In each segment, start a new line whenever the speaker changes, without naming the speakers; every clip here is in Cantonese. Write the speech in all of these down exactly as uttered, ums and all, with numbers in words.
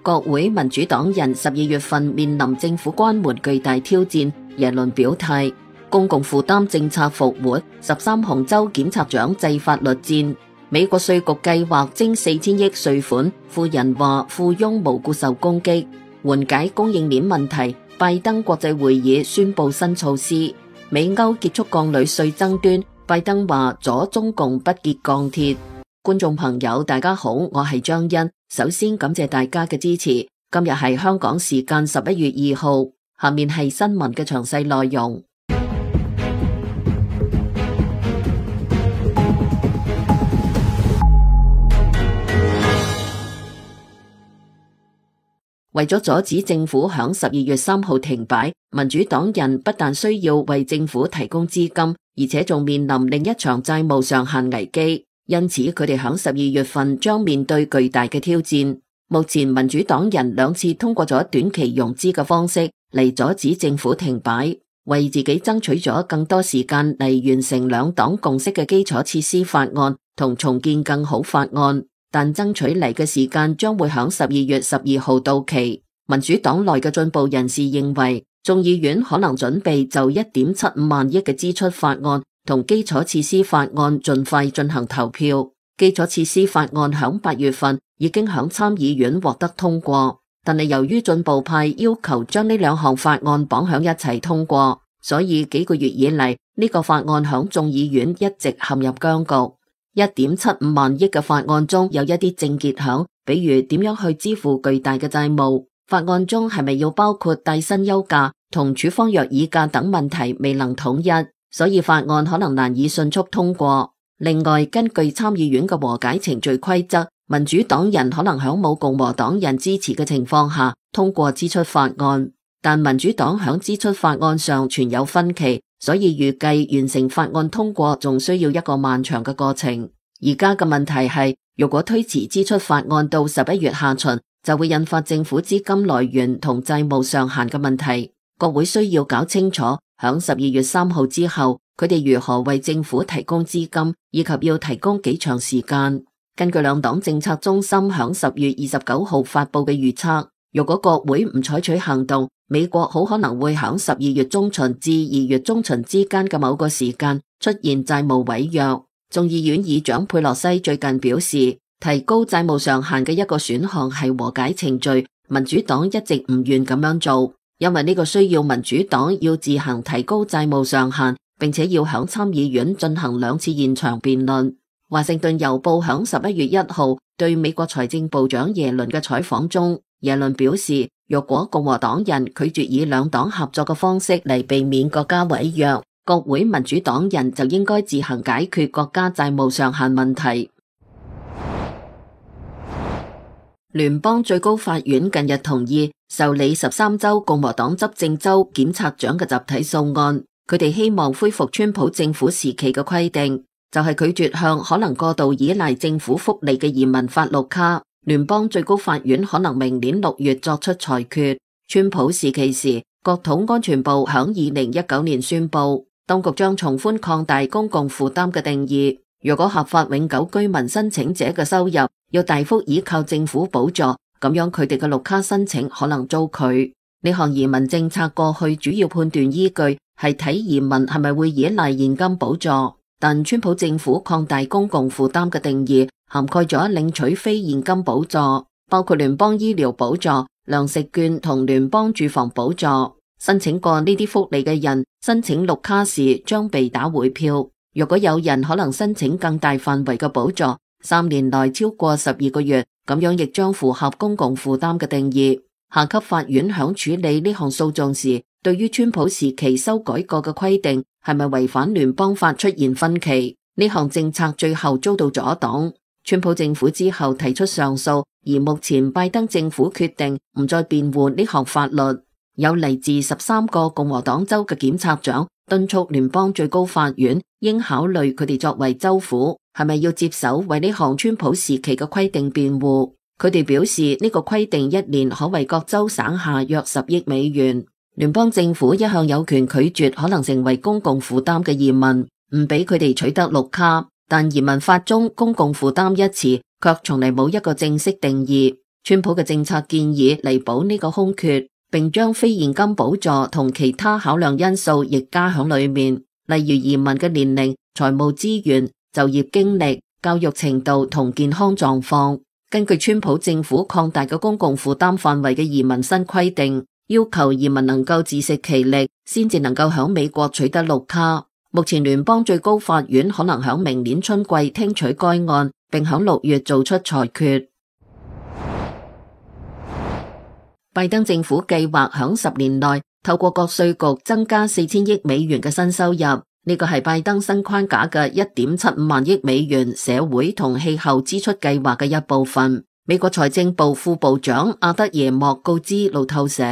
國會民主黨人十二月份面臨政府關門巨大挑戰，耶倫表態，公共負擔政策復活，十三項州檢察長制法律戰。美國稅局計劃徵四千億稅款，富人話富翁無故受攻擊。緩解供應鏈問題，拜登國際會議宣布新措施。美歐結束鋼鋁稅爭端，拜登話阻中共不結鋼鐵。觀眾朋友大家好，我係張欣，首先感謝大家嘅支持。今日係香港時間十一月二號，下面係新聞嘅詳細內容。為咗阻止政府響十二月三號停擺，民主黨人不但需要為政府提供資金，而且仲面臨另一場債務上限危機。因此，佢哋響十二月份將面對巨大嘅挑戰。目前民主黨人兩次通過咗短期融資嘅方式嚟阻止政府停擺，為自己爭取咗更多時間嚟完成兩黨共識嘅基礎設施法案同重建更好法案。但爭取嚟嘅時間將會響十二月十二號到期。民主黨內嘅進步人士認為，眾議院可能準備就一點七五萬億嘅支出法案同基礎設施法案盡快進行投票。基礎設施法案響八月份已經響參議院獲得通過，但係由於進步派要求將呢兩項法案綁響一齊通過，所以幾個月以嚟呢個法案響眾議院一直陷入僵局。一點七五萬億嘅法案中有一啲症結響，比如點樣去支付巨大嘅債務。法案中係咪要包括帶薪休假同處方藥議價等問題未能統一，所以法案可能難以迅速通過。另外，根據參議院嘅和解程序規則，民主黨人可能響冇共和黨人支持嘅情況下通過支出法案，但民主黨響支出法案上存有分歧，所以預計完成法案通過仲需要一個漫長嘅過程。而家嘅問題係，如果推遲支出法案到十一月下旬，就會引發政府資金來源同債務上限嘅問題。國會需要搞清楚，響十二月三號之後，佢哋如何為政府提供資金，以及要提供幾長時間。根據兩黨政策中心響十月二十九號發佈嘅預測，如果國會唔採取行動，美國好可能會響十二月中旬至二月中旬之間嘅某個時間出現債務違約。眾議院議長佩洛西最近表示，提高債務上限嘅一個選項係和解程序，民主黨一直唔願咁樣做，因為呢個需要民主黨要自行提高債務上限，並且要響參議院進行兩次現場辯論。華盛頓郵報響十一月一號對美國財政部長耶倫嘅採訪中，耶倫表示，若果共和黨人拒絕以兩黨合作嘅方式嚟避免國家違約，國會民主黨人就應該自行解決國家債務上限問題。聯邦最高法院近日同意受理十三州共和黨執政州檢察長嘅集體訴案，佢哋希望恢復川普政府時期嘅規定，就係拒絕向可能過度依賴政府福利嘅移民發綠卡。聯邦最高法院可能明年六月作出裁決。川普時期時，國土安全部響二零一九年宣布，當局將從寬擴大公共負擔嘅定義，如果合法永久居民申請者嘅收入要大幅依靠政府補助，咁樣佢哋嘅綠卡申請可能遭拒。呢項移民政策過去主要判斷依據係睇移民係咪會依賴現金補助，但川普政府擴大公共負擔嘅定義，涵蓋咗領取非現金補助，包括聯邦醫療補助、糧食券同聯邦住房補助。申請過呢啲福利嘅人申請綠卡時將被打回票。如果有人可能申請更大範圍嘅補助，三年內超過十二個月，咁樣亦將符合公共負擔嘅定義。下級法院響處理呢項訴訟時，對於川普時期修改過嘅規定係咪違反聯邦法出現分歧。呢項政策最後遭到阻擋。川普政府之後提出上訴，而目前拜登政府決定唔再辯護呢項法律。有嚟自十三個共和黨州嘅檢察長敦促聯邦最高法院應考慮佢哋作為州府係咪要接手為呢項川普時期嘅規定辯護。佢哋表示呢個規定一年可為各州省下約十億美元。聯邦政府一向有權拒絕可能成為公共負擔嘅移民，唔俾佢哋取得綠卡，但移民法中公共負擔一詞卻從嚟冇一個正式定義。川普嘅政策建議彌補呢個空缺，並將非現金補助同其他考量因素亦加響裏面，例如移民嘅年齡、財務資源、就業經歷、教育程度同健康狀況。根據川普政府擴大嘅公共負擔範圍嘅移民新規定，要求移民能夠自食其力，先至能夠響美國取得綠卡。目前聯邦最高法院可能響明年春季聽取該案，並響六月做出裁決。拜登政府計劃響十年內透過國稅局增加四千億美元嘅新收入，呢個係拜登新框架嘅一點七五萬億美元社會同氣候支出計劃嘅一部分。美國財政部副部長阿德耶莫告知路透社，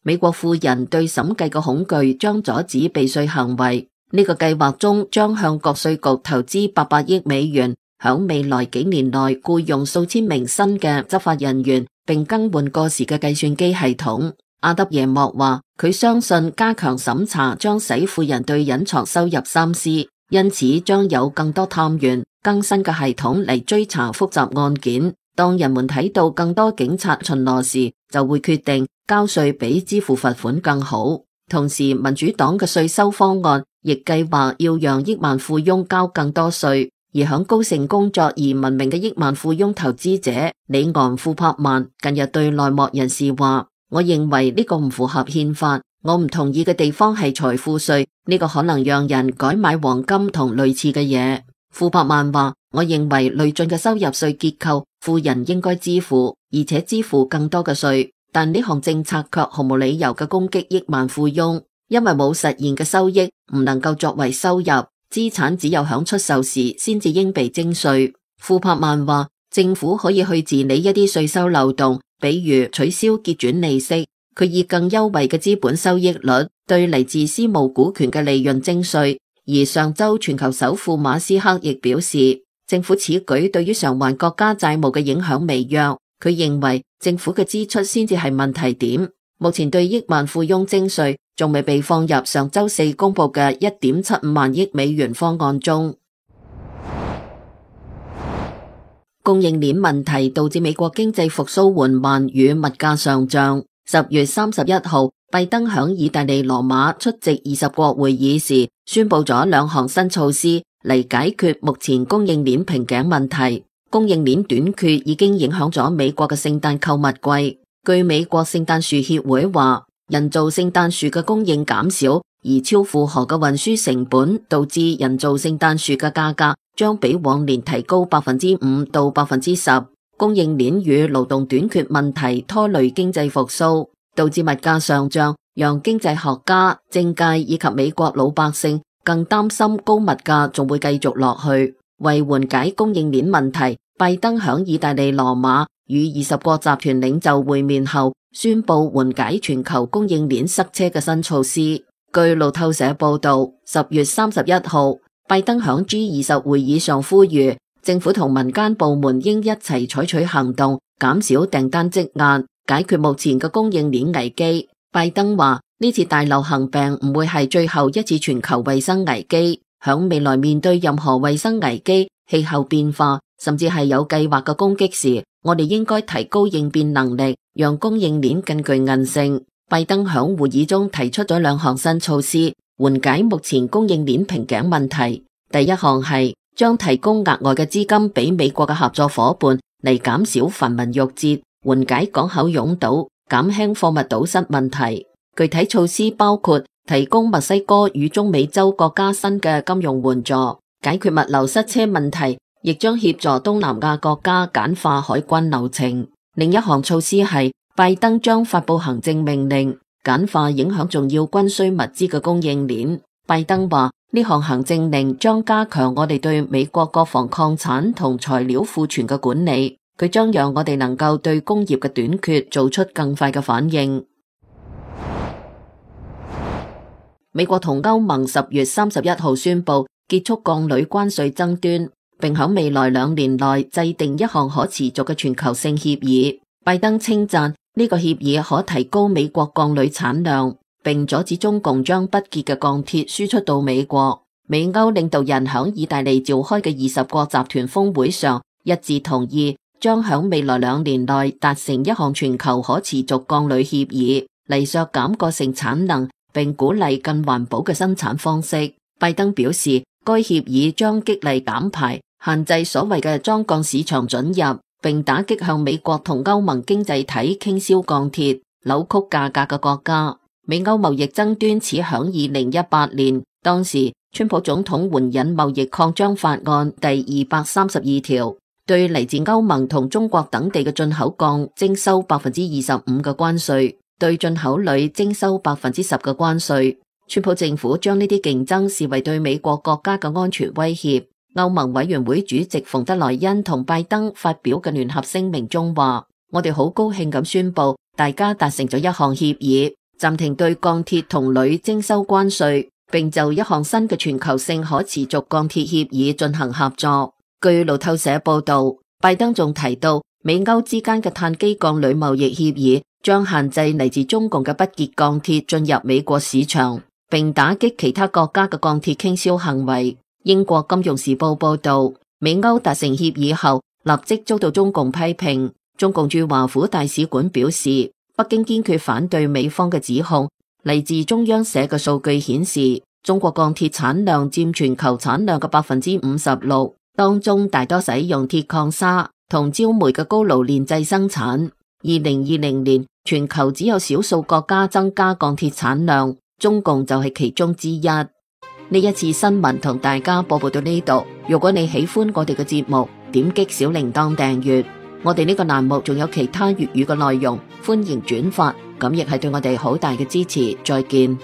美國富人對審計嘅恐懼將阻止避稅行為。呢個計劃中將向國稅局投資八百億美元，響未來幾年內僱用數千名新嘅執法人員，並更換過時嘅計算機系統。阿德耶莫話，佢相信加強審查將使富人對隱藏收入三思，因此將有更多探員、更新嘅系統嚟追查複雜案件。當人們睇到更多警察巡邏時，就會決定交稅比支付罰款更好。同時，民主黨嘅稅收方案亦計劃要讓億萬富翁交更多稅，而響高盛工作而聞名嘅億萬富翁投資者里昂庫柏曼近日對內幕人士話，我認為呢個唔符合憲法，我唔同意嘅地方係財富稅，呢個可能讓人改買黃金同類似嘅嘢。庫柏曼話，我認為累進嘅收入稅結構，富人應該支付，而且支付更多嘅稅。但呢項政策卻毫無理由嘅攻擊億萬富翁，因為冇實現嘅收益唔能夠作為收入，資產只有響出售時先至應被徵稅。庫柏曼話，政府可以去治理一啲稅收漏洞，比如取消結轉利息。佢以更優惠嘅資本收益率對嚟自私募股權嘅利潤徵稅。而上周全球首富馬斯克亦表示，政府此舉對於償還國家債務嘅影響微弱。佢認為政府嘅支出先至係問題點。目前對億萬富翁徵稅仲未被放入上周四公布嘅一點七五萬億美元方案中。供應鏈問題導致美國經濟復甦緩慢與物價上漲。十月三十一號，拜登響意大利羅馬出席二十國會議時，宣布咗兩項新措施嚟解決目前供應鏈瓶頸問題。供應鏈短缺已經影響咗美國嘅聖誕購物季。據美國聖誕樹協會話，人造聖誕樹嘅供應減少，而超負荷嘅運輸成本導致人造聖誕樹嘅價格將比往年提高百分之五到百分之十。供應鏈與勞動短缺問題拖累經濟復甦，導致物價上漲，讓經濟學家、政界以及美國老百姓更擔心高物價仲會繼續落去。為緩解供應鏈問題，拜登響意大利羅馬與二十國集團領袖會面後，宣布緩解全球供應鏈塞車嘅新措施。據路透社報道，十月三十一號，拜登響 G 二十會議上呼籲政府同民間部門應一齊採取行動，減少訂單積壓，解決目前嘅供應鏈危機。拜登話，呢次大流行病唔會係最後一次全球衛生危機，響未來面對任何衛生危機、氣候變化，甚至係有計劃嘅攻擊時，我哋應該提高應變能力，讓供應鏈更具韌性。拜登響會議中提出咗兩項新措施，緩解目前供應鏈瓶頸問題。第一項係將提供額外嘅資金俾美國嘅合作夥伴嚟減少繁文縟節，緩解港口擁堵，減輕貨物堵塞問題。具體措施包括提供墨西哥與中美洲國家新嘅金融援助，解決物流塞車問題，亦將協助東南亞國家簡化海關流程。另一項措施係拜登將發布行政命令，簡化影響重要軍需物資嘅供應鏈。拜登話，呢項行政令將加強我哋對美國國防礦產同材料庫存嘅管理，佢將讓我哋能夠對工業嘅短缺做出更快嘅反應。美國同歐盟十月三十一號宣布結束鋼鋁關稅爭端，並喺未來兩年內制定一項可持續嘅全球性協議。拜登稱讚呢個協議可提高美國鋼鋁產量，並阻止中共將不潔嘅鋼鐵輸出到美國。美歐領導人喺意大利召開嘅二十國集團峰會上一致同意將響未來兩年內達成一項全球可持續鋼鋁協議，嚟削減過剩產能，並鼓勵更環保嘅生產方式。拜登表示，該協議將激勵減排，限制所謂嘅裝鋼市場准入，並打擊向美國同歐盟經濟體傾銷鋼鐵、扭曲價格嘅國家。美歐貿易爭端始響二零一八年，當時川普總統援引貿易擴張法案第二百三十二條，對嚟自歐盟同中國等地嘅進口鋼徵收百分之二十五嘅關稅，對進口鋁徵收百分之十嘅關稅。川普政府將呢啲競爭視為對美國國家嘅安全威脅。歐盟委員會主席馮德萊恩同拜登發表嘅聯合聲明中話：我哋好高興咁宣布，大家達成咗一項協議，暫停對鋼鐵同鋁徵收關稅，並就一項新嘅全球性可持續鋼鐵協議進行合作。據路透社報道，拜登仲提到，美歐之間嘅碳基鋼鋁貿易協議將限制嚟自中共嘅不潔鋼鐵進入美國市場，並打擊其他國家嘅鋼鐵傾銷行為。英國金融時報報道，美歐達成協議後，立即遭到中共批評。中共駐華府大使館表示，北京堅決反對美方嘅指控。嚟自中央社嘅數據顯示，中國鋼鐵產量佔全球產量嘅百分之五十六，當中大多使用鐵礦砂同焦煤嘅高爐煉製生產。二零二零年，全球只有少數國家增加鋼鐵產量，中共就係其中之一。呢一次新聞同大家播報到呢度。如果你喜歡我哋嘅節目，點擊小鈴鐺訂閱。我哋呢個欄目仲有其他粵語嘅內容，歡迎轉發，咁亦係對我哋好大嘅支持。再見。